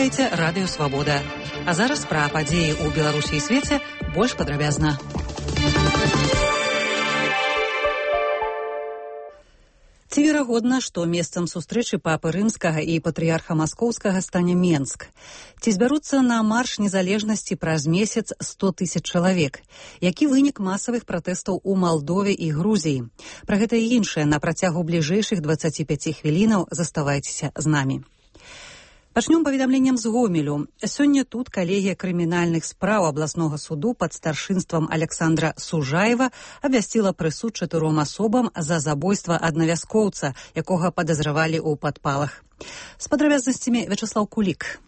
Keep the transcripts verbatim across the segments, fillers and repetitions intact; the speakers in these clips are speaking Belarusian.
Слухаеце радыё Свабода. А зараз пра падзеі ў Беларусі і свеце больш падрабязна. Ці верагодна, што месцам сустрэчы папы рымскага і патрыярха маскоўскага стане Менск? Ці збяруцца на марш незалежнасці праз месяц сто тысяч чалавек? Які вынік масавых пратэстаў у Малдове і Грузіі? Пра гэта і іншае на працягу бліжэйшых дваццаці пяці хвілінаў заставайцеся з намі. Пачнём паведамленнем з Гомелю. Сёння тут калегія крымінальных спраў абласнога суду пад старшынствам Александра Сужаева абвясціла прысуд чатыром асобам за забойства аднавяскоўца, якога падазравалі ў падпалах. З падрабязнасцямі Вячеслав Кулік.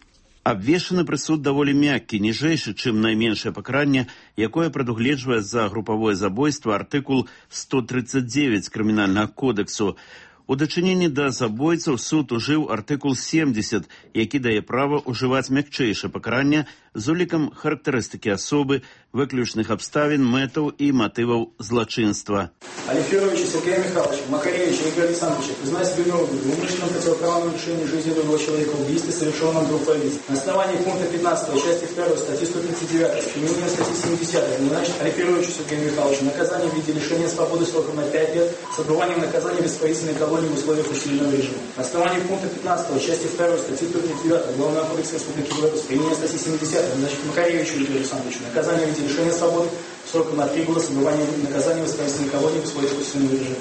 Абвешчаны прысуд даволі мяккі, ніжэйшы, чым найменшае пакаранне, якое прадугледжвае за групавое забойства артыкул сто тридцать девять крымінальнага кодексу. У дачыненні да забойцаў суд ужыў артыкул семьдесят, які дае права ўжываць мякчэйшае пакаранне з улікам характарыстыкі асобы, выключных абставін, мэтаў і матываў злачынства. Алиферовича Сергея Михайловича, Макаревича Игоря Александровича, признать себя виновным в умышленном противоправном лишении жизни другого человека, убийстве, совершенном группой лиц. На основании пункта пятнадцатого части второй статьи сто тридцать девять, применение статьи семьдесят, назначить Алиферовичу Сергею Михайловичу наказание в виде лишения свободы сроком на пять лет с отбыванием наказания в исправительной колонии в условиях усиленного режима. На основании пункта пятнадцатого части второй статьи сто тридцать девять Уголовного кодекса Республики Беларусь, применение статьи семьдесят, назначить Макаревичу Игорю Александровичу наказание в виде лишения свободы сроком на три года с отбыванием наказания в исправительной колонии в условиях усиленного режима.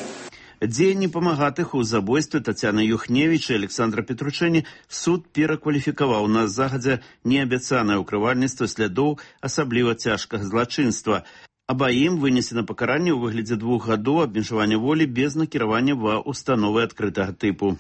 Дзеянні памагатых у забойстве Тацяны Юхневіч і Александра Петручэні суд перакваліфікаваў на загадзя неабяцанае ўкрывальніцтва слядоў асабліва цяжкага злачынства. Абаім вынесена пакаранне ў выглядзе двух гадоў абмежавання волі без накіравання ва установы адкрытага тыпу.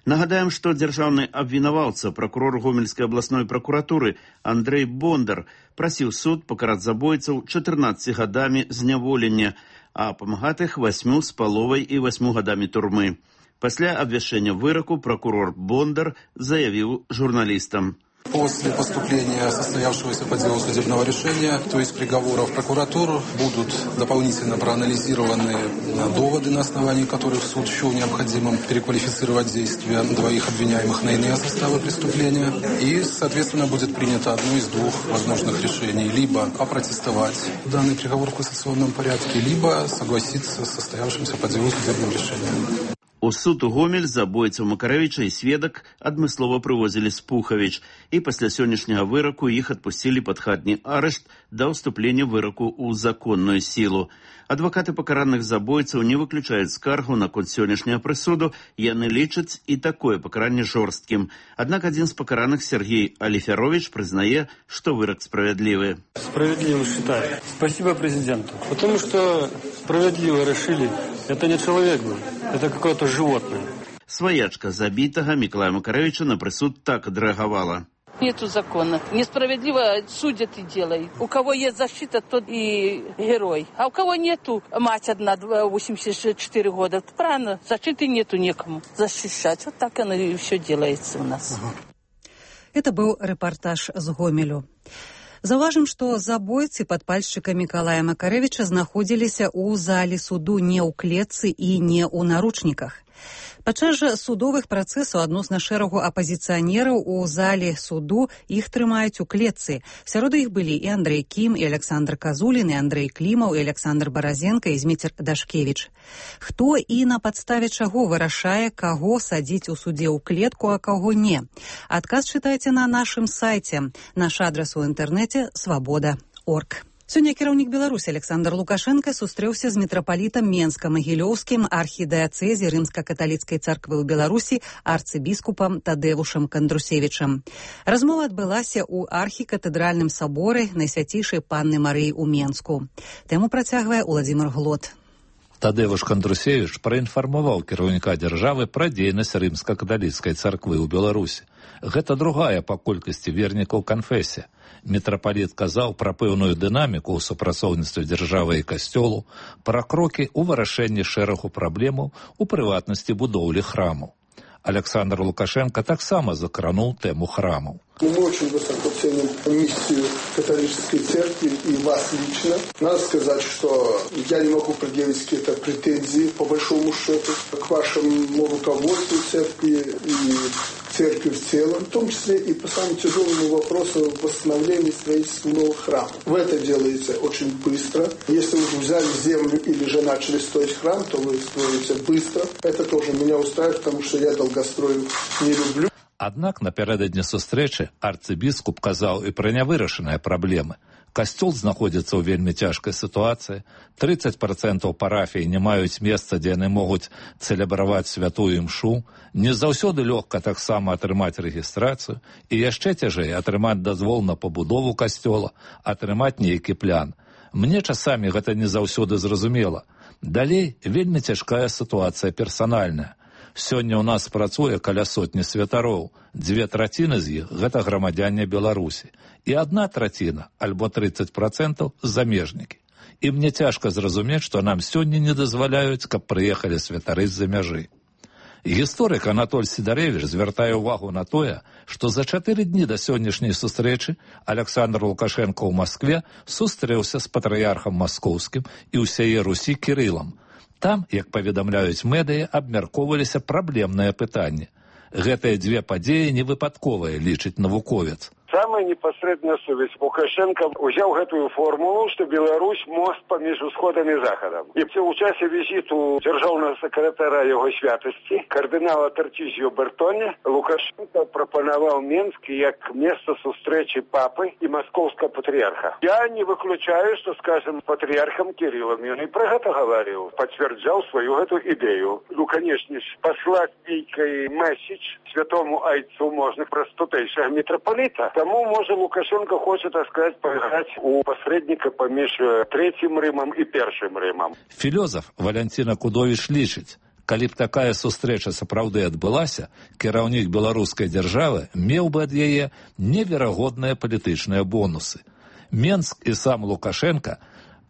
Нагадаем, што дзяржаўны абвінаваўца, пракурор Гомельскай абласной пракуратуры Андрэй Бондар прасіў суд пакараць забойцаў чатырнаццаці гадамі зняволення, а памагатых васьмю з паловай і васьмю гадамі турмы. Пасля абвяшчэння выраку пракурор Бондар заявіў журналістам. После поступления состоявшегося по делу судебного решения, то есть приговоров прокуратур, будут дополнительно проанализированы доводы, на основании которых суд счел необходимым переквалифицировать действия двоих обвиняемых на иные составы преступления. И, соответственно, будет принято одно из двух возможных решений. Либо опротестовать данный приговор в кассационном порядке, либо согласиться с состоявшимся по делу судебным решением. У суд у Гомель забойцаў Макаревіча і сведак адмыслова прывозілі з Пухавіч, і пасля сённяшняга выраку іх адпусцілі пад хатні арышт да ўступлення выраку ў законную сілу. Адвакаты пакараных забойцаў не выключаюць скаргу наконт сённяшняга прысуду, яны лічаць і такое пакаранне жорсткім. Аднак адзін з пакараных, Сергей Алиферович, признае, что вырок справедливый. Справедливо считаю. Спасибо президенту. Потому что справедливо решили, это не человек был, это какое-то животное. Своячка забитого Миколая Макаревича на присуд так отреагировала. Нету закона. Несправедливо судят и делают. У кого есть защита, тот и герой. А у кого нету, мать одна, восемьдесят четыре года. Правильно, защиты нету некому защищать. Вот так оно и все делается у нас. Это был репортаж з Гомелю. Заўважым, што забойцы падпальшчыка Мікалая Макаревіча знаходзіліся ў зале суду не ў клетцы і не ў наручніках. Падчас жа судовых працэсаў адносна шэрагу апазіцыянераў у зале суду іх трымаюць у клетцы. Сярод іх былі і Андрэй Кім, і Александр Казулін, і Андрэй Клімаў, і Александр Баразенка, і Зміцер Дашкевіч. Хто і на падставе чаго вырашае, каго садзіць у судзе ў клетку, а каго не? Адказ чытайце на нашым сайце. Наш адрас у інтэрнэце свабода крапка орг. Сёння кіраўнік Беларусі Александр Лукашенко сустрэўся з мітрапалітам Менска-Магілёўскім архідыяцэзі Рымска-каталіцкай царквы ў Беларусі арцыбіскупам Тадэвушам Кандрусевічам. Размова адбылася ў архікатэдральным саборы Найсвяцейшай Панны Марыі ў Менску. Тэму працягвае Уладзімир Глот. Тадэвуш Кандрусевіч праінфармаваў кіраўніка дзяржавы пра дзейнасць Рымска-каталіцкай царквы ў Беларусі. Гэта другая па колькасці вернікаў канфесія. Мітрапаліт казаў пра пэўную дынаміку ў супрацоўніцтве дзяржавы і касцёлу, пра крокі ў вырашэнні шэрагу праблемаў, у прыватнасці будоўлі храму. Александр Лукашенко таксама закранул тему храмов. Мы очень высоко ценим миссию католической церкви и вас лично. Надо сказать, что я не могу предъявить какие-то претензии, по большому счету, к вашему руководству церкви и церкви в целом, в том числе и по самому тяжелому вопросу восстановления строительства новых храмов. В это делается очень быстро. Если вы взяли землю или же начали строить храм, то вы строите быстро. Это тоже меня устраивает, потому что я долгострою не люблю. Аднак напярэдадні сустрэчы арцыбіскуп казаў і пра нявырашаныя праблемы. Касцёл знаходзіцца ў вельмі цяжкай сітуацыі, тридцать процентаў парафій не маюць месца, дзе яны могуць цэлебраваць святую імшу, не заўсёды лёгка таксама атрымаць рэгістрацыю, і яшчэ цяжэй атрымаць дазвол на пабудову касцёла, атрымаць нейкі план. Мне часамі гэта не заўсёды зразумела. Далей вельмі цяжкая сітуацыя персанальная. Сёння ў нас працуе каля сотні святароў. Дзве траціны з іх – гэта грамадзяне Беларусі. І адна траціна, альбо тридцать процентаў – замежнікі. І мне цяжка зразумець, што нам сёння не дазваляюць, каб прыехалі святары з-за мяжы. Гісторык Анатоль Сідарэвіч звяртае ўвагу на тое, што за чатыры дні да сённяшняй сустрэчы Александр Лукашенко ў Маскве сустрэўся з патрыярхам маскоўскім і ўсяе Русі Кірылам. Там, як паведамляюць медыі, абмяркоўваліся праблемныя пытанні. Гэтыя дзве падзеі невыпадковыя, лічыць навуковец. Самая непосредная сувязь. Лукашенко взял эту формулу, что Беларусь мост поміж Усходом и Заходом. И в часе визиту державного секретаря его святости, кардинала Тартизио Бертони, Лукашенко пропоновал Минск как место встречи папы и московского патриарха. Я не выключаю, что, скажем, патриархом Кириллом, он и про это говорил, подтверждал свою эту идею. Ну, конечно, послать некий месседж святому Айцу можно про стутейшего митрополита. Тому, може, Лукашенко хоче, так сказать, поиграть у посредника поміж Третьим Римом и Першим Римом. Філёзаф Валянціна Кудовіч лічыць, калі б такая сустрэча сапраўды адбылася, кіраўнік беларускай дзяржавы меў бы ад яе неверагодныя палітычныя бонусы. Менск і сам Лукашенко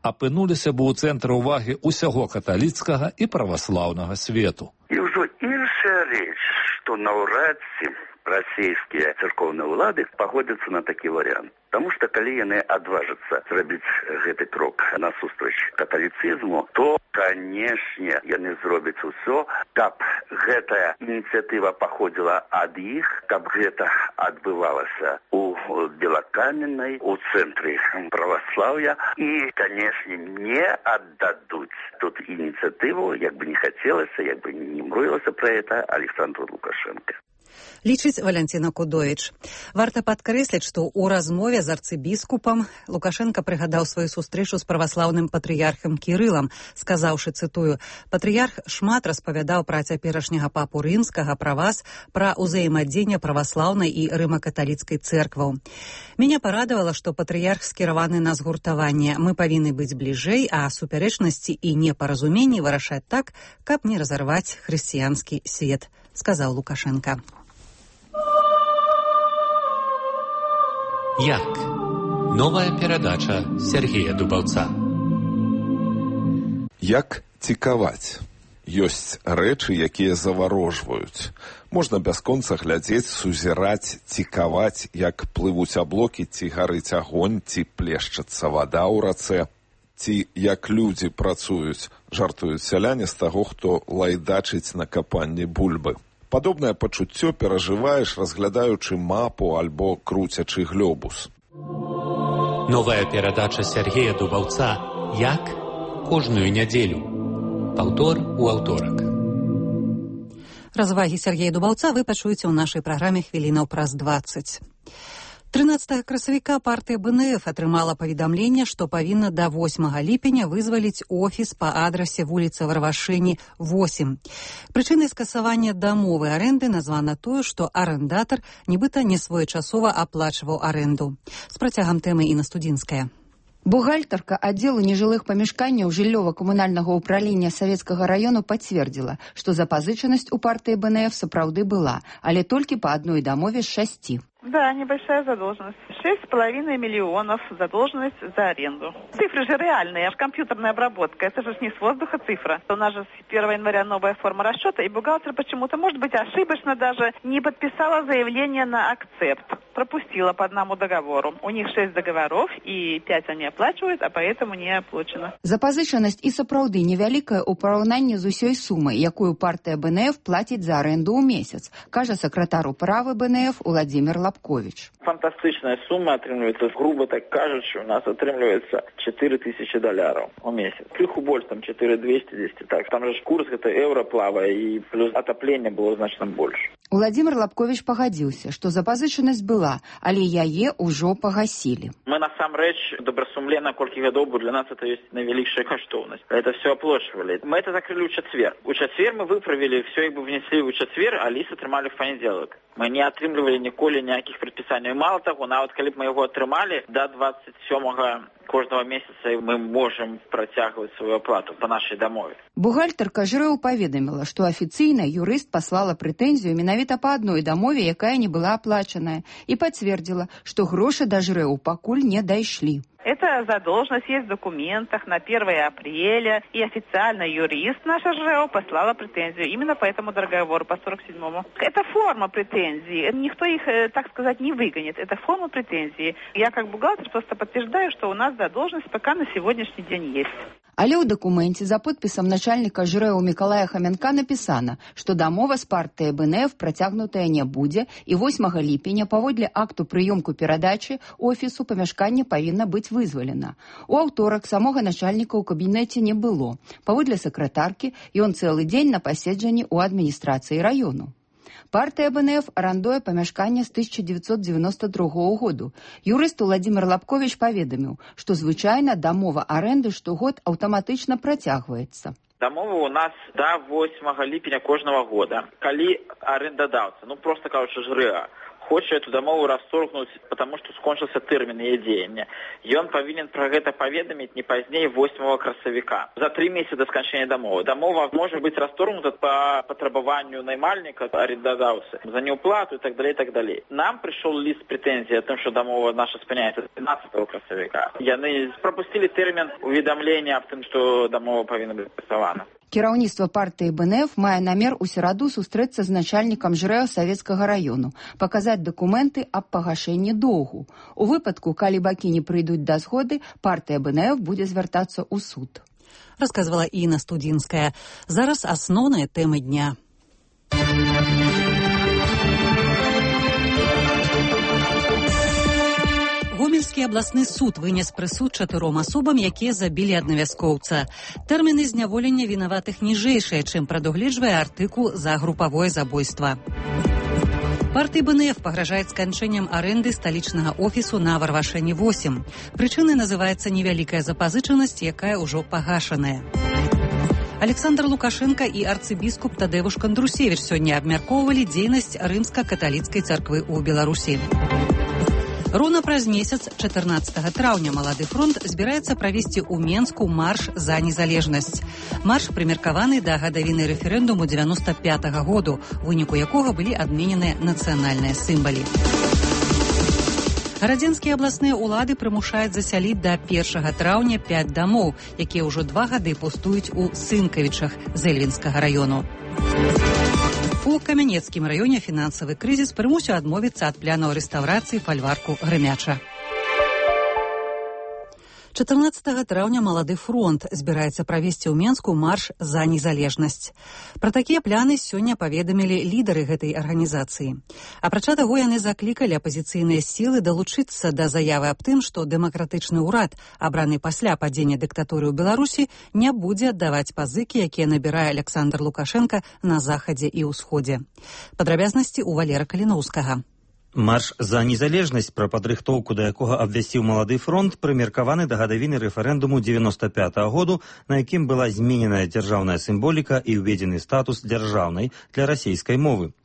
апынуліся бы ў цэнтры ўвагі ўсяго каталіцкага і праваслаўнага свету. І ўжо іншая рэч, што наўрад ці расійскія церковныя ўлады пагодзяцца на такі варыянт. Таму што калі яны адважацца зрабіць гэты крок насустрач каталіцызму, то, канешне, яны зробяць усё, каб гэтая ініцыятыва паходзіла ад іх, каб гэта адбывалася у Белакаменнай, у цэнтры праваслаўя, і, канешне, не аддадуць тут ініцыятыву, як бы не хацелася, як бы не мруілася пра гэта Александру Лукашенко. Лічыць Валянціна Кудовіч. Варта падкрэсліць, што ў размове з арцыбіскупам Лукашенко прыгадаў сваю сустрэчу з праваслаўным патрыярхам Кірылам, сказаўшы, цытую, «Патрыярх шмат распавядаў пра цяперашняга папу рымскага, пра вас, пра ўзаемадзеянне праваслаўнай і рыма-каталіцкай цэркваў. Мяне парадавала, што патрыярх скіраваны на згуртаванне. Мы павінны быць бліжэй, а супярэчнасці і непаразуменні вырашаць так, каб не разарваць хрысціянскі свет», сказаў Лукашенко. Як? Новая перадача Сергея Дубаўца. Як цікаваць? Ёсць рэчы, якія заварожваюць. Можна бясконца глядзець, сузіраць, цікаваць, як плывуць аблокі, ці гарыць агонь, ці плешчацца вада ў рацэ, ці як людзі працуюць, жартуюць сяляне з таго, хто лайдачыць на капанні бульбы. Падобнае пачуццё перажываеш, разглядаючы мапу альбо круцячы глёбус. Новая перадача Сергея Дубаўца «Як?» кожную нядзелю. Паўтор у аўторак. Развагі Сергея Дубаўца вы пачуеце ў нашай праграме хвілінаў праз дваццаць. трынаццатага красавіка партыя бэ эн эф атрымала паведамленне, што павінна да восьмага ліпеня вызваліць офіс па адрасе вуліца Варвашыні, восем. Прычынай скасавання дамовы арэнды названа тое, што арэндатар нібыта несвоечасова аплачваў арэнду. З працягам тэмы Інна Студзінская. Бухгалтарка аддзелу нежылых памяшканняў жыллёва-камунальнага ўправлення Савецкага раёну пацвердзіла, што запазычанасць у партыі бэ эн эф сапраўды была, але толькі па адной дамове з шасці. Да, небольшая задолженность. Шесть с половиной миллионов задолженность за аренду. Цифры же реальные, аж компьютерная обработка. Это же не с воздуха цифра. У нас же с первого января новая форма расчета, и бухгалтер почему-то, может быть, ошибочно даже не подписала заявление на акцепт. Пропустила по одному договору. У них шесть договоров, и пять они оплачивают, а поэтому не оплачено. Запазычанасць і сапраўды невялікая ў параўнанні з усёй сумай, якую партыя БНФ плаціць за аренду ў месяц, кажа сакратар управы БНФ Уладзімир Лапкович. Фантастычная сума атрымліваецца, грубо так кажучы, у нас атрымліваецца чатыры тысячи доляраў у месяц. Крыху больш, там чатыры двести десять. Так, там же курс гэта еўра плавае, і плюс атаплення было значна больш. Уладзімир Лапкович пагадзіўся, што запазычанасць была, але яе ўжо пагасілі. Мы насамрэч добрасумленно колькі гадоў, бо для нас это ёсць найвялікшая каштоўнасць. Это все оплачивали. Мы это закрыли ў чацвер. У чацвер мы выправили, все як бы внесли ў чацвер, а ліст атрымалі в панядзелак. Мы не атрымлівалі ніколі ніякіх прадпісанняў. Мало таго, нават калі б мы яго атрымалі, да двадцать сёмага кожного месяца мы можем працягваць сваю аплату по нашай дамове. Бухгалтарка ЖРЭУ паведаміла, што афіцыйна юрыст паслала прэтэнзію менавіта па адной дамове, якая не была аплачаная, і пацвердзіла, што грошы да ЖРЭУ пакуль не дайшлі. Эта задолженность есть в документах на первое апреля, и официально юрист наша ЖЭО послала претензию именно по этому договору, по сорок седьмому. Это форма претензий. Никто их, так сказать, не выгонит. Это форма претензий. Я как бухгалтер просто подтверждаю, что у нас задолженность пока на сегодняшний день есть. Але ў дакуменце за подпісам начальніка ЖРЭУ Мікалая Хамянка напісана, што дамова з партыяй БНФ працягнутая не будзе, і восьмага ліпеня паводле акту прыёмку перадачы офісу памяшканне павінна быць вызвалена. У аўторак самога начальніка ў кабінеце не было. Паводле сакратаркі, ён цэлы дзень на паседжанні ў адміністрацыі раёну. Партыя БНФ арандуе памяшканне з тысяча девятьсот девяносто другого году. Юрыст Уладзімир Лапкович паведаміў, што звычайна дамова арэнды штогод аўтаматычна працягваецца. Дамова у нас до восьмага ліпеня кожного года. Калі арендадаўца, ну просто кажучы ЖРЭА, хоча эту дамову расторгнуць, потому что скончыўся тэрмін яе дзеяння. Ён павінен пра гэта паведаміць не пазней восьмага красавіка. За три месяца до сканчэння дамовы. Дамова можа быць расторгнута по патрабаванню наймальніка, арендадаўцы, за неуплату и так далее, и так далее. Нам пришел лист претензий о том, что дамова наша спыняется двенадцатого красавіка. Яны пропустили тэрмін уведомления об том, что дамова павінна быць працавана. Кіраўніцтва партыі БНФ мае намер у сераду сустрэцца з начальнікам ЖРЭО Савецкага раёну, паказаць дакументы аб пагашэнні доўгу. У выпадку, калі бакі не прыйдуць да згоды, партыя БНФ будзе звяртацца ў суд. Расказвала Інна Студзінская. Зараз асноўныя тэмы дня. Гомельскі абласны суд вынес прысуд чатыром асобам, якія забілі аднавяскоўца. Тэрміны зняволення вінаватых ніжэйшыя, чым прадугледжвае артыкул за групавое забойства. Партыі БНФ пагражаюць сканчэннем арэнды сталічнага офісу на Варвашэні восемь. Прычынай называецца невялікая запазычанасць, якая ўжо пагашаная. Александр Лукашенко і арцыбіскуп Тадэвуш Кандрусевіч сёння абмяркоўвалі дзейнасць рымска-каталіцкай царквы ў Беларусі. Роўна праз месяц, чатырнаццатага траўня, Малады фронт збіраецца правесці ў Менску марш за незалежнасць. Марш прымеркаваны да гадавіны рэферэндуму девяносто пятага году, у выніку якога былі адмененыя нацыянальныя сімвалы. Гарадзенскія абласныя ўлады прымушаюць засяліць да першага траўня пяць дамоў, якія ўжо два гады пустуюць у Сынкавічах з Эльвінскага раёну. У Камянецкім раёне фінансавы крызіс прымусіў адмовіцца ад планаў рэстаўрацыі фальварку Грымяча. чатырнаццатага траўня Малады фронт збіраецца правесці ў Менску марш за незалежнасць. Пра такія пляны сёння паведамілі лідары гэтай арганізацыі. Апрача таго, яны заклікалі апазіцыйныя сілы далучыцца да заявы аб тым, што дэмакратычны ўрад, абраны пасля падзення дыктатуры ў Беларусі, не будзе аддаваць пазыкі, якія набірае Александр Лукашенко на захадзе і ўсходзе. Падрабязнасці ў Валера Каліноўскага. Марш за незалежнасць, пра падрыхтоўку да якога абвясціў Малады фронт, прымеркаваны да гадавіны рэферэндуму девяносто пятага году, на якім была змененая дзяржаўная сімволіка і ўведзены статус дзяржаўнай для расейскай мовы.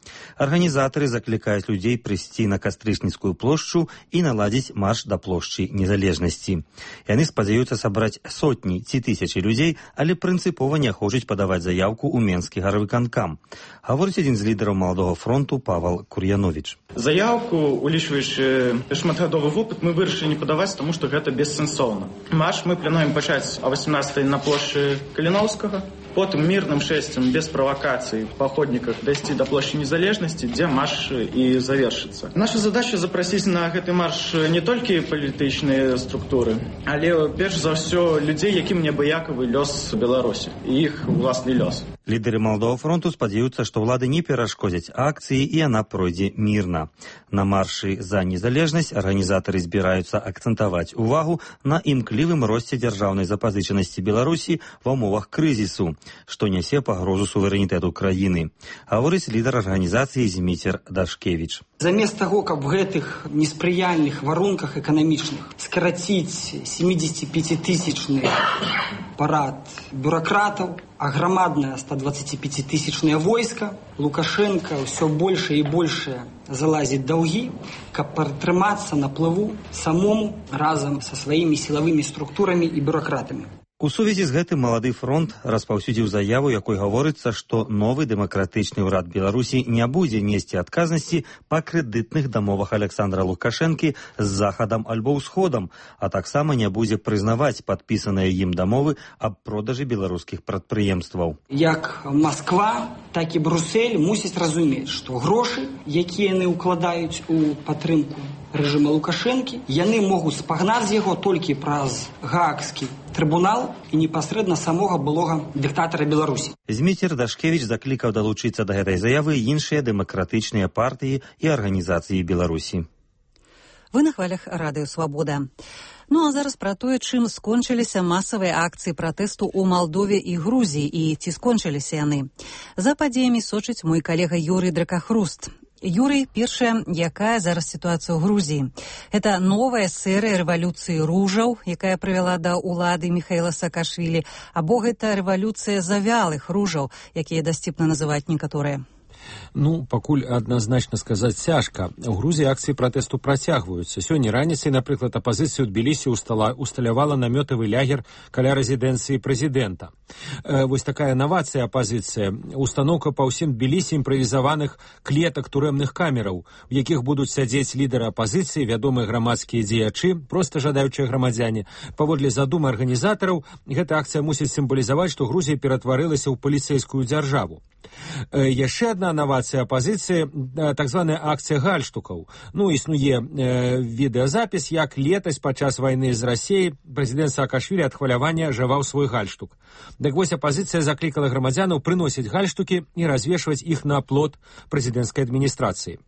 Арганізатары заклікаюць людзей прыйсці на Кастрычніцкую плошчу і наладзіць марш да плошчы незалежнасці. Яны спадзяюцца сабраць сотні ці тысячы людзей, але прынцыпова не хочуць падаваць заяўку ў Менскі гарвыканкам. Гаворыць адзін з лідараў Маладога фронту Павал Кур'яновіч. Заявка заяўку, улічваючы шматгадовы вопыт, мы вырашылі не падаваць, таму што гэта бессэнсоўна. Марш мы плануем пачаць о восемнадцатай на плошчы Каліноўскага, потым мірным шэсцем, без правакацый, па ходніках дайсці да плошчы Незалежнасці, дзе марш і завершыцца. Наша задача запрасіць на гэты марш не толькі палітычныя структуры, але перш за ўсё людзей, якім неабыякавы лёс Беларусі і іх уласны лёс. Лідары Малдового фронту спадзяюцца, што ўлады не перашкодзяць акцыі і яна пройдзе мірна. На маршы за незалежнасць арганізатары збіраюцца акцэнтаваць увагу на імклівым росце дзяржаўнай запазычанасці Беларусі ва ўмовах крызісу, што нясе пагрозу суверэнітэту краіны. Гаворыць лідар арганізацыі Зміцер Дашкевіч. Замест таго, каб в гэтых неспрыяльных варунках эканамічных скараціць семидесятипятитысячны парад бюрократаў, а громадное сто двадцатипятитысячное войско, Лукашенко все больше и больше залазит долги, каб протрымацца на плыву самому разом со своими силовыми структурами и бюрократами. У сувязі з гэтым Малады фронт распаўсюдзіў заяву, якой гаворыцца, што новы дэмакратычны ўрад Беларусі не будзе несці адказнасці па крэдытных дамовах Александра Лукашэнкі з захадам альбо ўсходам, а таксама не будзе прызнаваць падпісаныя ім дамовы аб продажы беларускіх прадпрыемстваў. Як Москва, так і Брюссель мусяць разумець, што грошы, якія яны ўкладаюць у падтрымку рэжыма Лукашэнкі, яны могуць спагнаць з яго толькі праз Гаагскі трыбунал і непасрэдна самога былога дыктатара Беларусі. Зміцер Дашкевіч заклікаў далучыцца да гэтай заявы іншыя дэмакратычныя партыі і арганізацыі Беларусі. Вы на хвалях радыё «Свабода». Ну а зараз пра тое, чым скончыліся масавыя акцыі пратэсту ў Малдове і Грузіі і ці скончыліся яны. За падзеямі сочыць мой калега Юрый Дракахруст. Юрый, першая, якая зараз сітуацыя ў Грузіі? Гэта новая серыя рэвалюцыі ружаў, якая прывяла да ўлады Міхаіла Саакашвілі, або гэта рэвалюцыя завялых ружаў, якія дасціпна называюць некаторыя? Ну, пакуль адназначна сказаць цяжка. У Грузіі акцыі пратэсту працягваюцца. Сёння раніцай, напрыклад, апазіцыя ў Тбілісі усталявала намётавы лягер каля рэзідэнцыі прэзідэнта. Э, вось такая навацыя апазіцыя. Устаноўка па ўсім Тбілісі імправізаваных клетак турэмных камераў, у якіх будуць сядзець лідары апазіцыі, вядомыя грамадскія дзеячы, проста жадаючыя грамадзяне. Паводле задумы арганізатараў, гэта акцыя мусіць сімвалізаваць, што Грузія ператварылася ў паліцэйскую дзяржаву. Э, яшчэ адна навацыя апазіцыі, так званая акцыя гальштукаў. Ну, існуе э, відэазапіс, як летась падчас вайны з Расіяй прэзідэнт Саакашвілі ад хвалявання жаваў свой гальштук. Так вось апазіцыя заклікала грамадзянаў прыносіць гальштукі і развешваць іх на плот прэзідэнцкай адміністрацыі.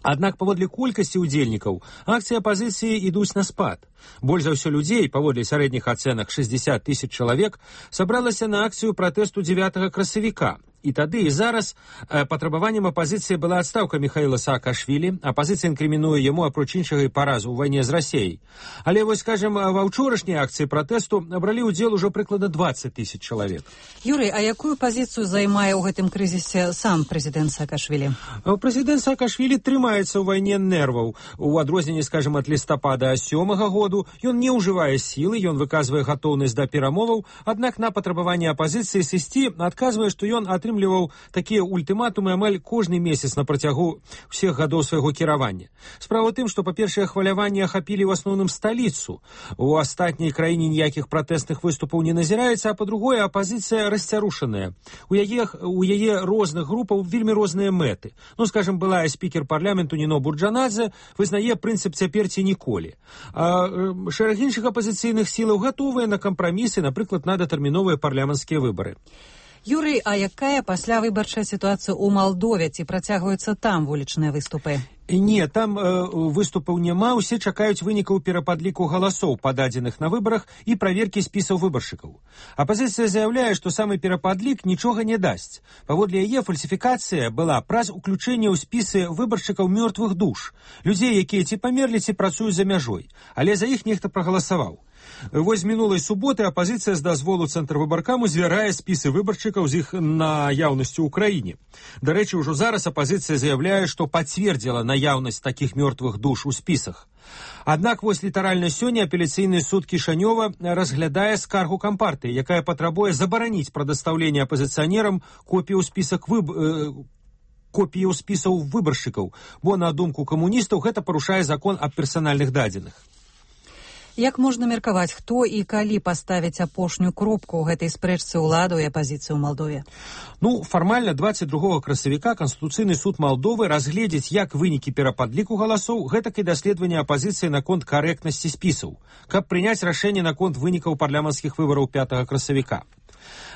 Аднак паводле колькасці ўдзельнікаў акцыі апазіцыі ідуць на спад. Больш за ўсё людзей, паводле сярэдніх ацэнак шэсцьдзесят тысяч чалавек, сабралася на акцыю пратэсту дзевятага красавіка. І тады і зараз э, патрабаваннем апазіцыі была адстаўка Міхаіла Саакашвілі. Апазіцыя інкрымінуе яму, апроч іншага, і паразу ў вайне з Расіяй. Але вось, скажем, ва ўчорашняй акцыі пратэсту бралі ўдзел ужо прыкладна двадцать тысяч чалавек. Юрый, а якую пазіцыю займае ў гэтым крызісе сам прэзідэнт Саакашвілі? Прэзідэнт Саакашвілі трымаецца ў вайне нерваў. У адрозненні, скажем, ад лістапада сёмага году ён не ўжывае сілы, ён выказвае гатоўнасць да перамоваў, аднак на патрабаванне апазіцыі сысці адказвае, што ён атрымліваў такія ультыматумы амаль кожны месяц на працягу ўсіх гадоў свайго кіравання. Справа ў тым, што, па-першае, хваляванні ахапілі ў асноўным сталіцу. У астатняй краіне ніякіх пратэстных выступаў не назіраецца, а па-другое, апазіцыя расцярушаная. У яе, у яе розных групаў вельмі розныя мэты. Ну, скажем, былая спікер парламенту Ніно Бурджанадзе вызнае прынцып цяпер ці ніколі. А шэраг іншых апазіцыйных сілаў гатовыя на кампрамісы, напрыклад, на датэрміновыя парламенцкія выбары. Юрый, а якая пасля выбарчая сітуацыя ў Малдове? Ці працягваюцца там вулічныя выступы? Не, там э, выступаў няма, усе чакаюць вынікаў перападліку галасоў, пададзеных на выбарах, і праверкі спісаў выбаршчыкаў. Апазіцыя заяўляе, што самы перападлік нічога не дасць. Паводле яе фальсіфікацыя была праз уключэнне ў спісы выбаршчыкаў мёртвых душ, людзей, якія ці памерлі, ці працуюць за мяжой, але за іх нехта прагаласаваў. Вось мінулай суботы апазіцыя з дазволу цэнтрвыбаркаму звярае спісы выбаршчыкаў з іх наяўнасцю ў краіне. Дарэчы, ужо зараз апазіцыя заяўляе, што пацвердзіла наяўнасць такіх мёртвых душ у спісах. Аднак вось літаральна сёння апеляцыйны суд Кішанёва разглядае скаргу кампартыі, якая патрабуе забараніць прадастаўленне апазіцыянерам копію спісак выб... копіяў спісаў выбаршчыкаў, бо, на думку камуністаў, гэта парушае закон аб персанальных дадзеных. Як можна меркаваць, хто і калі паставіць апошнюю кропку ў гэтай спрэчцы ўладу і апазіцыі ў Малдове? Ну, фармальна дваццаць другога красавіка Канстытуцыйны суд Малдовы разгледзіць як вынікі перападліку галасоў, гэтак і даследавання апазіцыі наконт карэктнасці спісаў, каб прыняць рашэнне наконт вынікаў парламенцкіх выбараў пятага красавіка.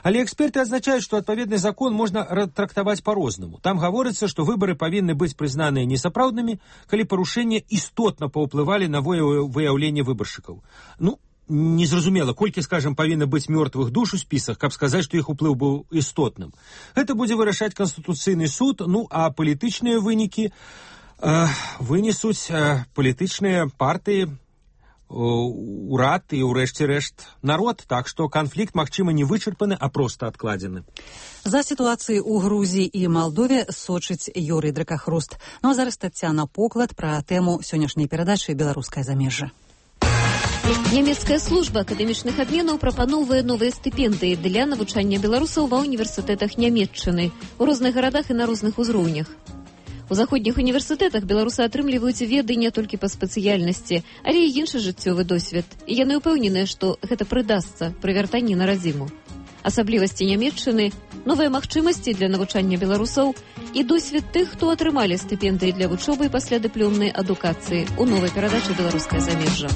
Але эксперты адзначаюць, што адпаведны закон можна трактаваць па-рознаму. Там гаворыцца, што выбары павінны быць прызнаныя несапраўднымі, калі парушэнні істотна паўплывалі на выяўленне выбаршчыкаў. Ну, незразумела, колькі, скажам, павінна быць мёртвых душ у спісах, каб сказаць, што іх уплыў быў істотным. Гэта будзе вырашаць Канстытуцыйны суд, ну, а палітычныя вынікі э, вынесуць э, палітычныя партыі, урад і, ўрэшце рэшт, народ, так што канфлікт, магчыма, не вычарпаны, а проста адкладзены. За сітуацыяй у Грузіі і Малдове сочыць Юрый Дракахруст. Ну а зараз Таццяна Поклад пра тэму сённяшняй перадачы «Беларускае замежжа». Нямецкая служба акадэмічных абменаў прапаноўвае новыя стыпендыі для навучання беларусаў ва універсітэтах Нямецчыны у розных гарадах і на розных узроўнях. У заходніх універсітэтах беларусы атрымліваюць веды не толькі па спецыяльнасці, але і іншы жыццёвы досвед. І яны ўпэўненыя, што гэта прыдасца пры вяртанні на радзіму. Асаблівасці Нямецчыны, новыя магчымасці для навучання беларусаў і досвед тых, хто атрымалі стыпендыі для вучобы і паслядыплёмнай адукацыі у новай перадачы «Беларускае замежжа».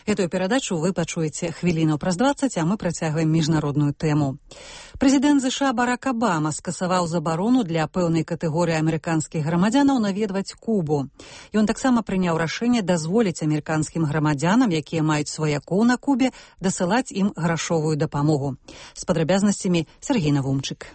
Эту перадачу вы пачуеце хвіліну праз дваццаць, а мы працягваем міжнародную тэму. Прэзідэнт ЗША Барак Абама скасаваў забарону для пэўнай катэгорыі амерыканскіх грамадзянаў наведваць Кубу. Ён таксама прыняў рашэнне дазволіць амерыканскім грамадзянам, якія маюць сваякоў на Кубе, дасылаць ім грашовую дапамогу. З падрабязнасцямі Сергей Навумчык.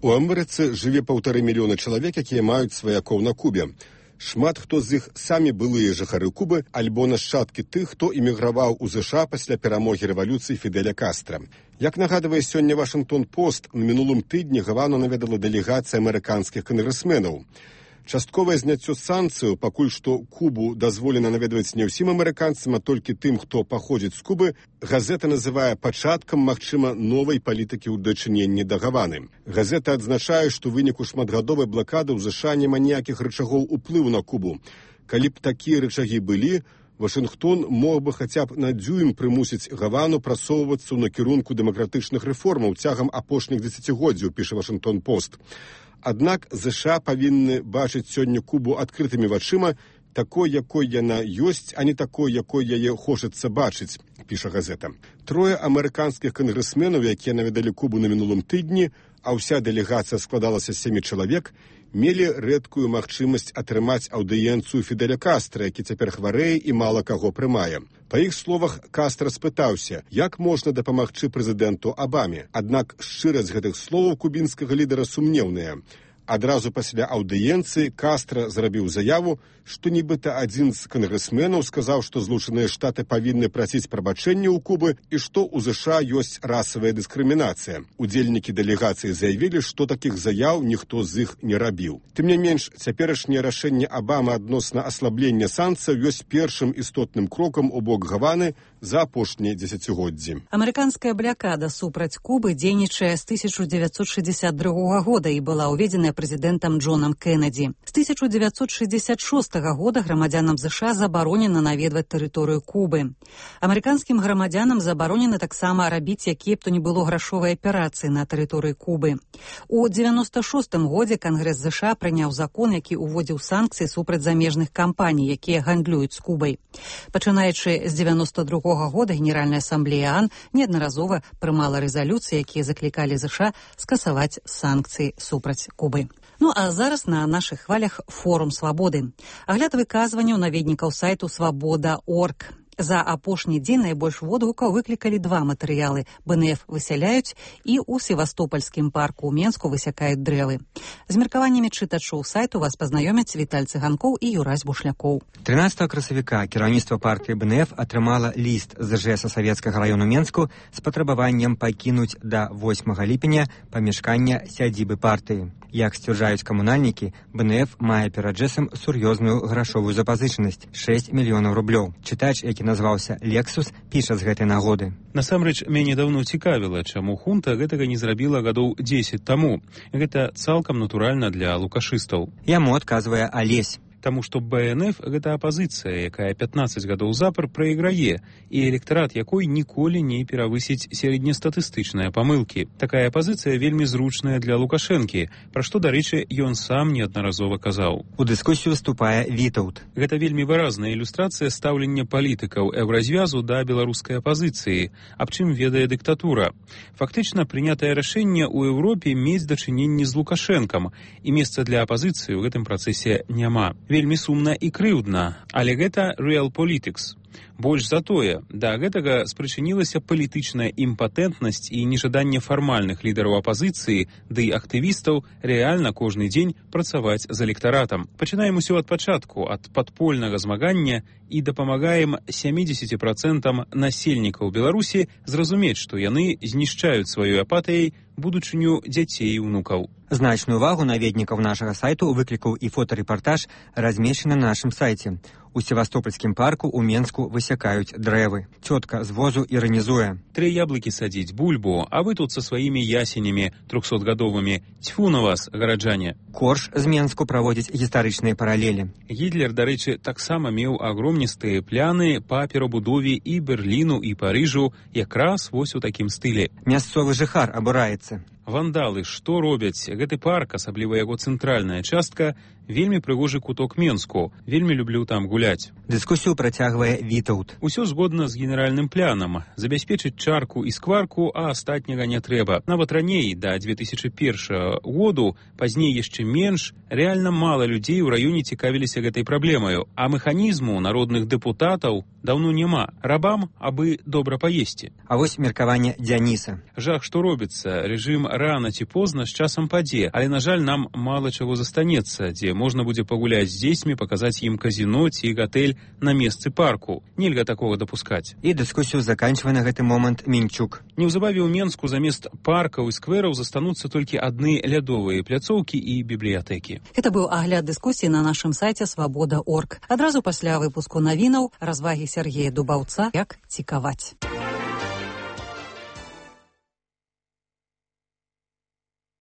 У Амерыцы жыве паўтары мільёна чалавек, якія маюць сваякоў на Кубе. Шмат хто з іх самі былыя жыхары Кубы альбо нашчадкі тых, хто эміграваў у ЗША пасля перамогі рэвалюцыі Фідэля Кастра. Як нагадвае сёння Вашынгтон-Пост, на мінулым тыдні Гавану наведала дэлегацыя амерыканскіх кангрэсменаў. Частковае зняццё санкцыяў, пакуль што Кубу дазволена наведваць не ўсім амерыканцам, а толькі тым, хто паходзіць з Кубы, газета называе пачаткам, магчыма, новай палітыкі ў дачыненні да Гаваны. Газета адзначае, што ў выніку шматгадовай блакады ў ЗША няма ніякіх рычагоў уплыву на Кубу. Калі б такія рычагі былі, Вашынгтон мог бы хаця б на дзюйм прымусіць Гавану прасоўвацца ў накірунку дэмакратычных рэформаў цягам апошніх дзесяцігоддзяў, піша Вашынгтон-Пост. Аднак ЗША павінны бачыць сёння Кубу адкрытымі вачыма, такой, якой яна ёсць, а не такой, якой яе хочацца бачыць, піша газета. Трое амерыканскіх кангрэсменаў, якія наведалі Кубу на мінулым тыдні, а ўся дэлегацыя складалася з сямі чалавек, мелі рэдкую магчымасць атрымаць аўдыенцыю Фідэля Кастра, які цяпер хварэе і мала каго прымае. Па іх словах, Кастра спытаўся, як можна дапамагчы прэзідэнту Абаме. Аднак шчырасць гэтых словаў кубінскага лідара сумнеўная. Адразу пасля аўдыенцыі Кастра зрабіў заяву, што нібыта адзін з кангрэсменаў сказаў, што Злучаныя Штаты павінны прасіць прабачэння ў Кубы і што ў ЗША ёсць расавая дыскрымінацыя. Удзельнікі дэлегацыі заявілі, што такіх заяў ніхто з іх не рабіў. Тым не менш, цяперашняе рашэнне Абама адносна аслаблення санкцыяў ёсць першым істотным крокам у бок Гаваны за апошнія дзесяцігоддзі. Амерыканская блякада супраць Кубы дзейнічае з тысяча дзевяцьсот шэсцьдзесят другога года і была ўведзеная прэзідэнтам Джонам Кеннеді. З тысяча дзевяцьсот шэсцьдесят шостага года грамадзянам ЗША забаронена наведваць тэрыторыю Кубы. Амерыканскім грамадзянам забаронена таксама рабіць якія б то не было грашовыя аперацыі на тэрыторыі Кубы. У дзевяноста шостым годзе Кангрэс ЗША прыняў закон, які ўводзіў санкцыі супраць замежных кампаній, якія гандлююць з Кубай. Пачынаючы з дзевяноста другога года Генеральная асамблея ААН неаднаразова прымала рэзалюцыі, якія заклікалі ЗША скасаваць санкцыі супраць Кубы. Ну а зараз на нашых хвалях форум свабоды. Агляд выказванняў наведнікаў сайту свабода точка орг. За апошні дзень найбольш водгукаў выклікалі два матэрыялы. БНФ высяляюць і ў Севастопольскім парку ў Менску высякаюць дрэвы. З меркаваннямі чытачоў сайту вас пазнаёмяць Віталь Цыганкоў і Юрась Бушлякоў. трынаццатага красавіка кіраўніцтва партыі БНФ атрымала ліст з ЖЭСа Савецкага раёну Менску з патрабаваннем пакінуць да восьмага ліпеня памяшкання сядзібы партыі. Як сцвярджаюць камунальнікі, БНФ мае перад ЖЭСам сур'ёзную грашовую запазычанасць – шэсць мільёнаў рублёў. Чытач, які назваўся «Лексус», піша з гэтай нагоды. Насамрэч, мяне даўно цікавіла, чаму хунта гэтага не зрабіла гадоў дзесяць таму. Гэта цалкам натуральна для лукашыстаў. Яму адказвае Алесь. Таму што БНФ – гэта апазіцыя, якая пятнаццаць гадоў запар прайграе, і электарат якой ніколі не перавысіць сярэднестатыстычныя памылкі. Такая апазіцыя вельмі зручная для Лукашэнкі, пра што, дарэчы, ён сам неаднаразова казаў. У дыскусію вступае Вітаўт. Гэта вельмі выразная ілюстрацыя стаўлення палітыкаў еўразвязу да беларускай апазіцыі, аб чым ведае дыктатура. Фактычна, прынятае рашэнне ў Еўропе мець дачыненні з Лукашэнкам, і месца для апазіцыі ў гэтым працэсе няма. Вельмі сумна і крыўдна, але гэта real politics. Больш за тое, да гэтага спрычынілася палітычная імпатэнтнасць і нежаданне фармальных лідараў апазіцыі ды актывістаў рэальна кожны дзень працаваць з электаратам. Пачынаем усё ад пачатку, ад падпольнага змагання і дапамагаем сямдзесят працэнтам насельнікаў Беларусі зразумець, што яны знішчаюць сваёй апатыяй будучыню дзяцей і ўнукаў. Значную увагу наведнікаў нашага сайту выклікаў і фотарэпартаж, размешчаны на нашым сайце. У Севастопольскім парку ў Менску высякаюць дрэвы. Цётка з возу іранізуе. Тры яблыкі садзіць, бульбу, а вы тут са сваімі ясенямі трохсотгадовымі. Цьфу на вас, гараджане. Корж з Менску праводзіць гістарычныя паралелі. Гітлер, дарэчы, таксама меў агромністыя пляны па перабудове і Берліну, і Парыжу, якраз вось у такім стылі. Мясцовы жыхар абураецца. Вандалы, што робяць? Гэты парк, асабліва яго цэнтральная частка, вельмі прыгожы куток Менску. Вельмі люблю там гуляць. Дыскусію працягвае Вітаўт. Усё згодна з генеральным планам. Забяспечыць чарку і скварку, а астатняга не трэба. Нават раней, да две тысячи першага году, пазней яшчэ менш, рэальна мала людзей у раёне цікавіліся гэтай праблемаю, а механізму народных дэпутатаў даўно няма. Рабам, абы добра паесці. А вось меркаванне Дзяніса. Жах, што робіцца. Рэжым рана ці позна з часам падзе, але, на жаль, нам мала чаго застанецца, дзе можна будзе пагуляць з дзецьмі, паказаць ім казіно ці гатэль на месцы парку. Нельга такога дапускаць. І дыскусію заканчвае на гэты момант Мінчук. Неўзабаве ў Менску замест паркаў і сквераў застануцца толькі адны лядовыя пляцоўкі і бібліятэкі. Это быў агляд дыскусіі на нашым сайце свабода точка орг. Адразу пасля выпуску навінаў развагі Сергея Дубаўца «Як цікаваць».